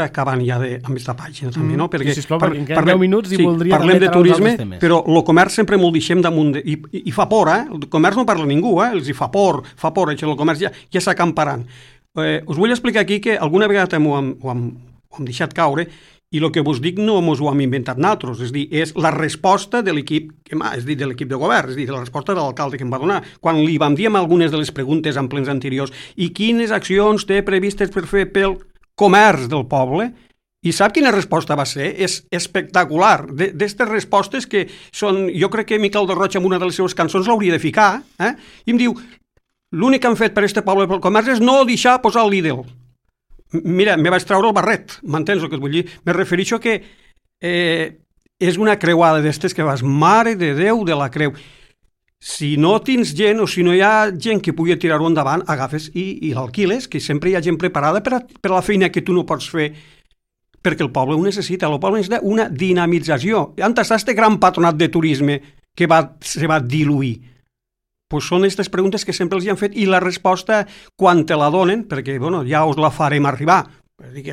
acabant ja amb aquesta pàgina també, no? Perquè sisplau, perquè en queden 10 minuts i voldria parlem també de treure turisme, altres temes. però el comerç sempre m'ho deixem damunt i fa por, el comerç no parla ningú, els hi fa por, això, el comerç ja s'acamparant. Us vull explicar aquí que alguna vegada ho hem deixat caure, i el que vos dic no mos ho hem inventat nosaltres, és dir, és la resposta de l'equip, de l'equip de govern, és dir, la resposta de l'alcalde que em va donar. Quan li vam dir amb algunes de les preguntes en plens anteriors i quines accions té previstes per fer pel comerç del poble, i sap quina resposta va ser? És espectacular. D'estes respostes que són, jo crec que Miquel de Roig en una de les seves cançons l'hauria de ficar, i em diu, l'únic que han fet per este poble pel comerç és no deixar posar el Lidl. Mira, me vaig treure el barret, m'entens el que et vull dir? Me refereixo que és una creuada d'estes que vas, mare de Déu de la creu. Si no tens gent o si no hi ha gent que pugui tirar-ho endavant, agafes i l'alquiles, que sempre hi ha gent preparada per a la feina que tu no pots fer, perquè el poble ho necessita. El poble necessita una dinamització. On està este gran patronat de turisme que se va diluir? Pues són aquestes preguntes que sempre els han fet i la resposta, quan te la donen, perquè ja us la farem arribar,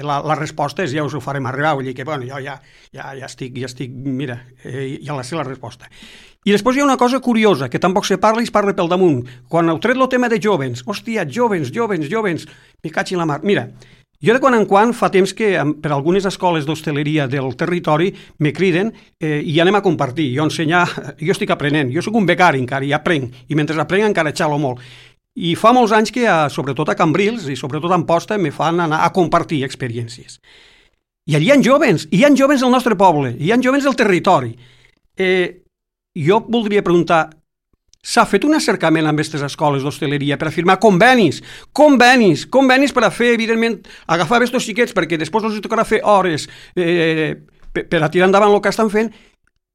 la resposta és ja us ho farem arribar, vull dir que jo ja estic, mira, ja la sé la resposta. I després hi ha una cosa curiosa, que tampoc se parla i es parla pel damunt. Quan heu tret el tema de jovens, hòstia, jovens, me caig en la mar. Mira, jo de quan en quan fa temps que per algunes escoles d'hostaleria del territori me criden i anem a compartir, jo estic aprenent, jo soc un becari encara i aprenc, i mentre aprenc encara xalo molt. I fa molts anys que, sobretot a Cambrils i sobretot a Amposta, me fan anar a compartir experiències. I allà hi ha jovens, del nostre poble, hi ha jovens del territori. Jo voldria preguntar, s'ha fet un acercament amb aquestes escoles d'hostaleria per a firmar convenis per a fer, evidentment, agafar aquests xiquets perquè després els tocarà fer hores per a tirar endavant el que estan fent,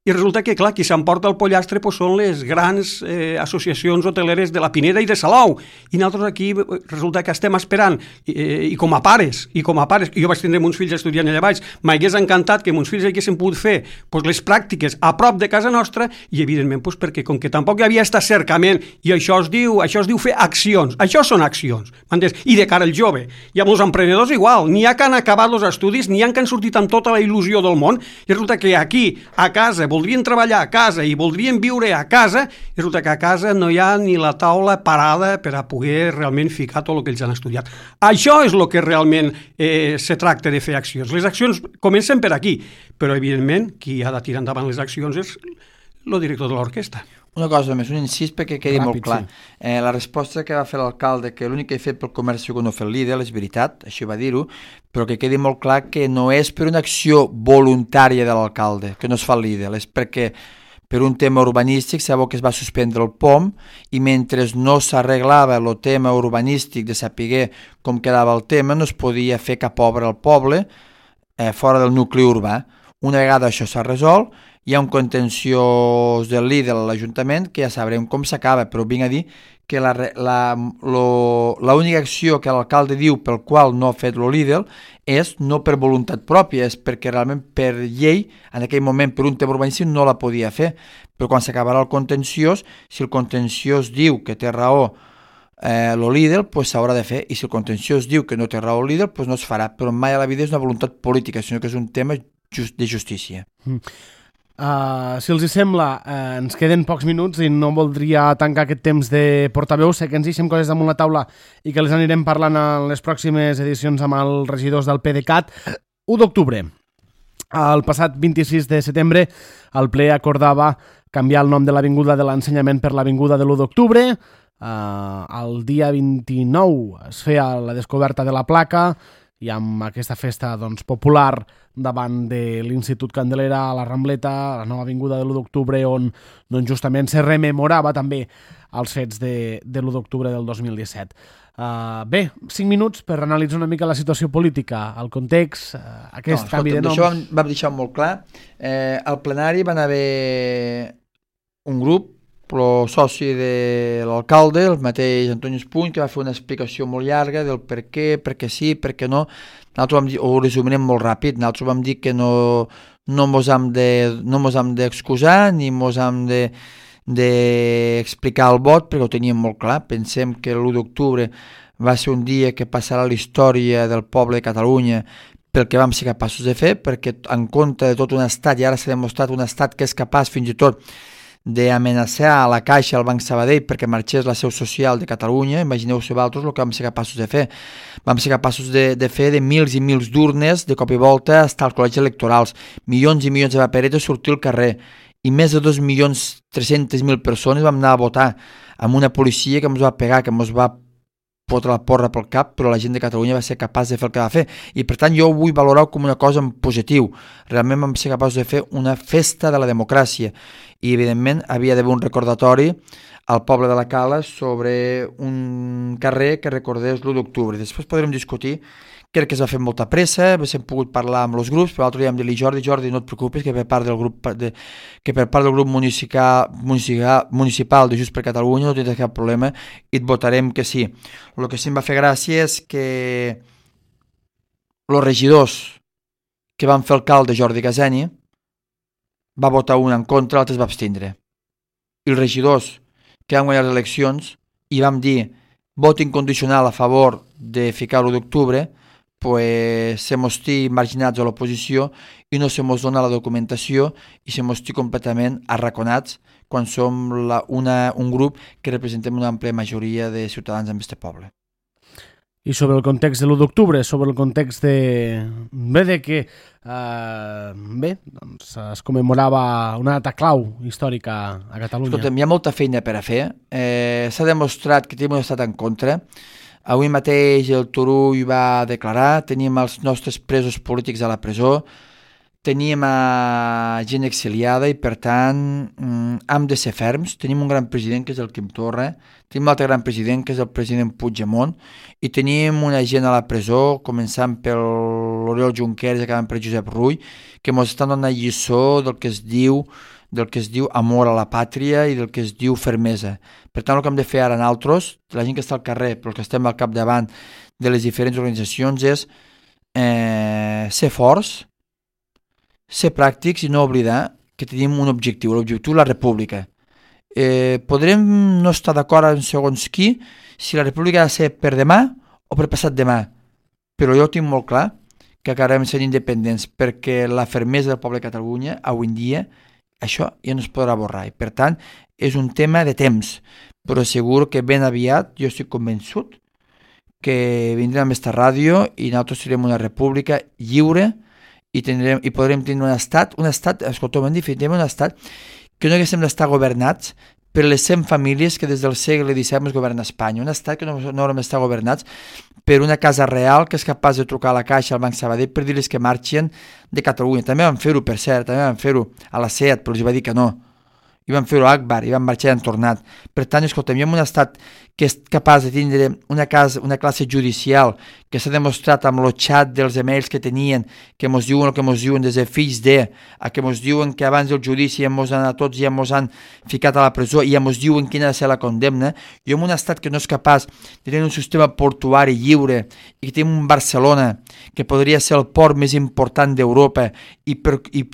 i resulta que, clar, qui s'emporta el pollastre són les grans associacions hoteleres de la Pineda i de Salou, i nosaltres aquí resulta que estem esperant, i com a pares, jo vaig tindre uns fills estudiant allà baix, m'hagués encantat que meus fills haguessin pogut fer les pràctiques a prop de casa nostra, i evidentment perquè com que tampoc hi havia aquest acercament, i això es diu fer accions, això són accions, m'entens? I de cara al jove, i amb els emprenedors igual, n'hi ha que han acabat els estudis, n'hi ha que han sortit amb tota la il·lusió del món, i resulta que aquí, a casa, voldrien treballar a casa i voldrien viure a casa, i resulta que a casa no hi ha ni la taula parada per a poder realment ficar tot el que ells han estudiat. Això és el que realment se tracta de fer accions. Les accions comencen per aquí, però evidentment qui ha de tirar endavant les accions és el director de l'orquestra. Una cosa més, un incís perquè quedi molt clar. Sí. La resposta que va fer l'alcalde, que l'únic que he fet pel comerç que no ha fet Lidl, és veritat, així va dir-ho, però que quedi molt clar que no és per una acció voluntària de l'alcalde, que no es fa Lidl, és perquè per un tema urbanístic sabeu que es va suspendre el POM i mentre no s'arreglava el tema urbanístic de saber com quedava el tema, no es podia fer cap obra al poble fora del nucli urbà. Una vegada això s'ha resolt, hi ha un contenciós del Lidl a l'Ajuntament que ja sabrem com s'acaba, però vinc a dir que l'única acció que l'alcalde diu pel qual no ha fet el Lidl és no per voluntat pròpia, és perquè realment per llei, en aquell moment per un tema urbanístic no la podia fer, però quan s'acabarà el contenciós, si el contenciós diu que té raó el Lidl, pues s'haurà de fer, i si el contenciós diu que no té raó el Lidl, pues no es farà, però mai a la vida és una voluntat política, sinó que és un tema de justícia. Si els hi sembla, ens queden pocs minuts i no voldria tancar aquest temps de portaveu. Sé que ens deixem coses damunt la taula i que les anirem parlant en les pròximes edicions amb els regidors del PDeCAT. 1 d'octubre. El passat 26 de setembre el ple acordava canviar el nom de l'Avinguda de l'Ensenyament per l'Avinguda de l'1 d'octubre. El dia 29 es feia la descoberta de la placa i amb aquesta festa doncs, popular davant de l'Institut Candelera, a la Rambleta, a la nova avinguda de l'1 d'octubre, on doncs, justament se rememorava també els fets de l'1 d'octubre del 2017. Bé, 5 minuts per analitzar una mica la situació política, el context, aquest canvi de noms. Això vam deixar molt clar. Al plenari van haver un grup, el soci de l'alcalde, el mateix Antoni Espuny, que va fer una explicació molt llarga del per què sí, per què no. Nosaltres vam dir, ho resumirem molt ràpid, nosaltres vam dir que no mos hem d'excusar ni mos hem d'explicar el vot, perquè ho teníem molt clar. Pensem que l'1 d'octubre va ser un dia que passarà a la història del poble de Catalunya pel que vam ser capaços de fer, perquè en contra de tot un estat, i ara s'ha demostrat un estat que és capaç fins i tot d'amenaçar a la Caixa, al Banc Sabadell, perquè marxés la seu social de Catalunya. Imagineu-se vosaltres el que vam ser capaços de fer. Vam ser capaços de fer de mils i mils d'urnes de cop i volta estar als col·legis electorals, milions i milions de paperetes sortir al carrer, i més de 2.300.000 persones vam anar a votar amb una policia que ens va pegar, que ens va fotre la porra pel cap, però la gent de Catalunya va ser capaç de fer el que va fer, i per tant jo ho vull valorar com una cosa en positiu. Realment vam ser capaços de fer una festa de la democràcia, i evidentment havia d'haver un recordatori al poble de la Cala sobre un carrer que recordés l'1 d'octubre. Després podrem discutir. Crec que es va fer molta pressa, hem pogut parlar amb els grups, però l'altre dia vam dir-li, Jordi, no et preocupis, que per part del grup municipal de Junts per Catalunya no tens cap problema i et votarem que sí. El que sí em va fer gràcia és que els regidors que van fer alcalde Jordi Caseni va votar un en contra, l'altre es va abstindre. I els regidors que van guanyar les eleccions i vam dir vot incondicional a favor de ficar l'1 d'octubre, pues se mos marginats a l'oposició i no se mos dona la documentació i se mos completament arraconats quan som un grup que representem una àmplia majoria de ciutadans en aquest poble. I sobre el context de l'1 d'octubre, sobre el context de que doncs es commemorava una data clau històrica a Catalunya. Escolta'm, hi ha molta feina per a fer. S'ha demostrat que tenim un estat en contra. Avui mateix el Turull va declarar, tenim els nostres presos polítics a la presó, teníem gent exiliada i per tant hem de ser ferms. Tenim un gran president que és el Quim Torra, tenim un altre gran president que és el president Puigdemont i tenim una gent a la presó, començant per l'Oriol Junqueras i acabant per Josep Rull, que ens estan donant lliçó del que es diu amor a la pàtria i del que es diu fermesa. Per tant, el que hem de fer ara nosaltres, la gent que està al carrer, però els que estem al capdavant de les diferents organitzacions, és ser forts, ser pràctics i no oblidar que tenim un objectiu, l'objectiu de la república. Podrem no estar d'acord en segons qui, si la república ha de ser per demà o per passat demà, però jo tinc molt clar que acabarem sent independents, perquè la fermesa del poble de Catalunya, avui en dia, això ja no es podrà borrar. I per tant, és un tema de temps, però segur que ben aviat, jo estic convençut, que vindrem a aquesta ràdio i nosaltres serem una república lliure i podrem tenir un estat, escolta'm, en definitiva, un estat que no haguéssim d'estar governats per les 100 famílies que des del segle XVII es governa Espanya. Un estat que no haurem d'estar governats per una casa real que és capaç de trucar a la Caixa, al Banc Sabadell, per dir-les que marxen de Catalunya. També van fer-ho, per cert, també van fer-ho a la SEAT, però els va dir que no. I van fer-ho a Akbar, i van marxar i han tornat. Per tant, escolta'm, hi ha un estat que és capaç de tindre una classe judicial que s'ha demostrat amb el xat dels emails que tenien, que mos diuen el que mos diuen des de fills de, a que mos diuen que abans del judici ja mos han a tots ja mos han ficat a la presó i ja mos diuen quina ha de ser la condemna. I en un estat que no és capaç de tenir un sistema portuari lliure i que tenim un Barcelona que podria ser el port més important d'Europa i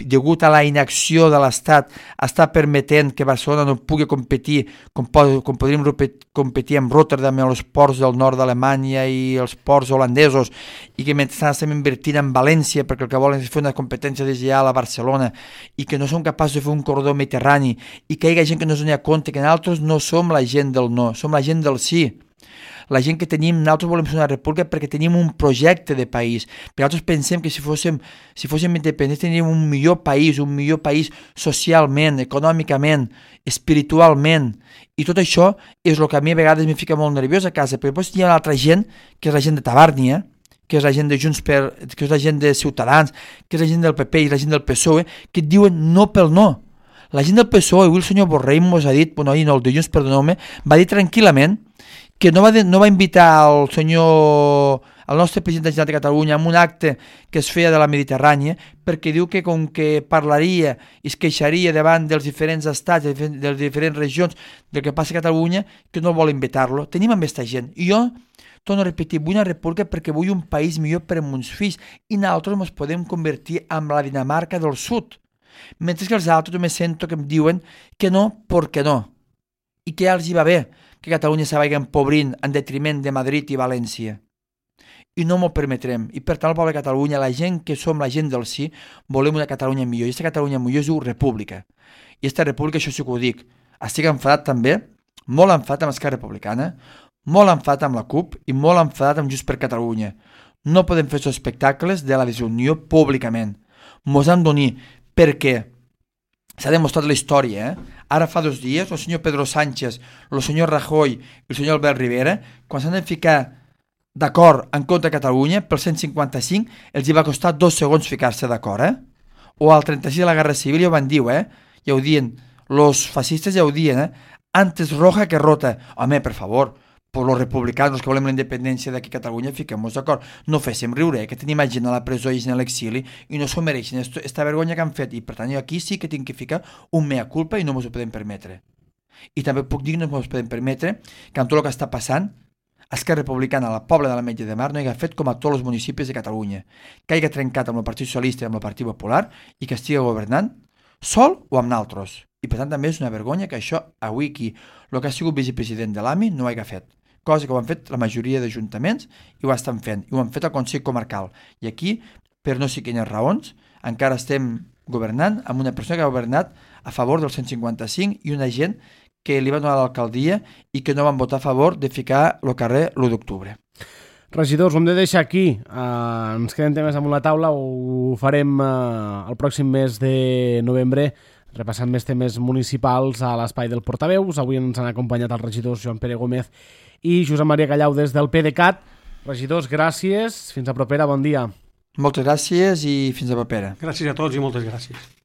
degut a la inacció de l'Estat està permetent que Barcelona no pugui competir com podríem competir amb Rotterdam i els ports del nord d'Alemanya i els ports holandesos, i que mentre estem invertint en València perquè el que volen és fer una competència deslleial a Barcelona i que no som capaços de fer un corredor mediterrani i que hi ha gent que no es dona compte que nosaltres no som la gent del no, som la gent del sí. La gent que tenim, nosaltres volem ser una república perquè tenim un projecte de país, perquè nosaltres pensem que si fóssim independents teníem un millor país socialment, econòmicament, espiritualment, i tot això és el que a mi a vegades me fica molt nerviós a casa, perquè després hi ha una altra gent, que és la gent de Tabàrnia, que és la gent de Junts que és la gent de Ciutadans, que és la gent del PP i la gent del PSOE, que et diuen no pel no. La gent del PSOE, avui el senyor Borrell mos ha dit, bueno, no, el de Junts, perdoneu-me, va dir tranquil·lament que no va invitar el nostre president de la Generalitat de Catalunya a un acte que es feia de la Mediterrània, perquè diu que com que parlaria i es queixaria davant dels diferents estats, de les diferents regions del que passa a Catalunya, que no vol invitar-lo. Tenim amb aquesta gent. I jo torno a repetir, vull una república perquè vull un país millor per a meus fills i nosaltres ens podem convertir en la Dinamarca del Sud. Mentre que els altres me sento que em diuen que no, perquè no. I que ja els hi va bé que Catalunya se vagi empobrint en detriment de Madrid i València. I no m'ho permetrem. I per tant el poble de Catalunya, la gent que som la gent del sí, volem una Catalunya millor. I aquesta Catalunya millor es diu república. I aquesta república, això sí que ho dic, estic enfadat també, molt enfadat amb Esquerra Republicana, molt enfadat amb la CUP i molt enfadat amb Junts per Catalunya. No podem fer aquests espectacles de la desunió públicament. Mos han d'unir perquè s'ha demostrat la història. Ara fa 2 dies, el senyor Pedro Sánchez, el senyor Rajoy i el senyor Albert Rivera, quan s'han de ficar d'acord en contra de Catalunya pel 155, els hi va costar 2 segons ficar-se d'acord. O al 36 de la Guerra Civil ja ho van dir, ja ho diuen, los fascistes ja ho diuen, antes roja que rota. Home, per favor, per los republicanos que volem la independència d'aquí a Catalunya, fiquem-nos d'acord. No féssim riure, que tenim gent a la presó i gent a l'exili i no s'ho mereixen, esta vergonya que han fet. I per tant, jo aquí sí que tinc que ficar un mea culpa i no mos ho podem permetre. I també puc dir que no mos podem permetre que amb tot el que està passant, Esquerra Republicana a la Pobla de l'Ametlla de Mar no hagi fet com a tots els municipis de Catalunya, que hagi trencat amb el Partit Socialista i amb el Partit Popular i que estigui governant sol o amb naltros. I per tant també és una vergonya que això avui aquí, el que ha sigut vicepresident de l'AMI no ho hagi fet. Cosa que ho han fet la majoria d'ajuntaments i ho estan fent. I ho han fet al Consell Comarcal. I aquí, per no sé quines raons, encara estem governant amb una persona que ha governat a favor del 155 i una gent que li va donar l'alcaldia i que no van votar a favor de ficar el carrer l'1 d'octubre. Regidors, ho hem de deixar aquí. Ens queden temes damunt la taula, ho farem el pròxim mes de novembre, repassant més temes municipals a l'espai del Portaveus. Avui ens han acompanyat els regidors Joan Pere Gómez i Josep Maria Callau des del PDeCAT. Regidors, gràcies. Fins a propera, bon dia. Moltes gràcies i fins a propera. Gràcies a tots i moltes gràcies.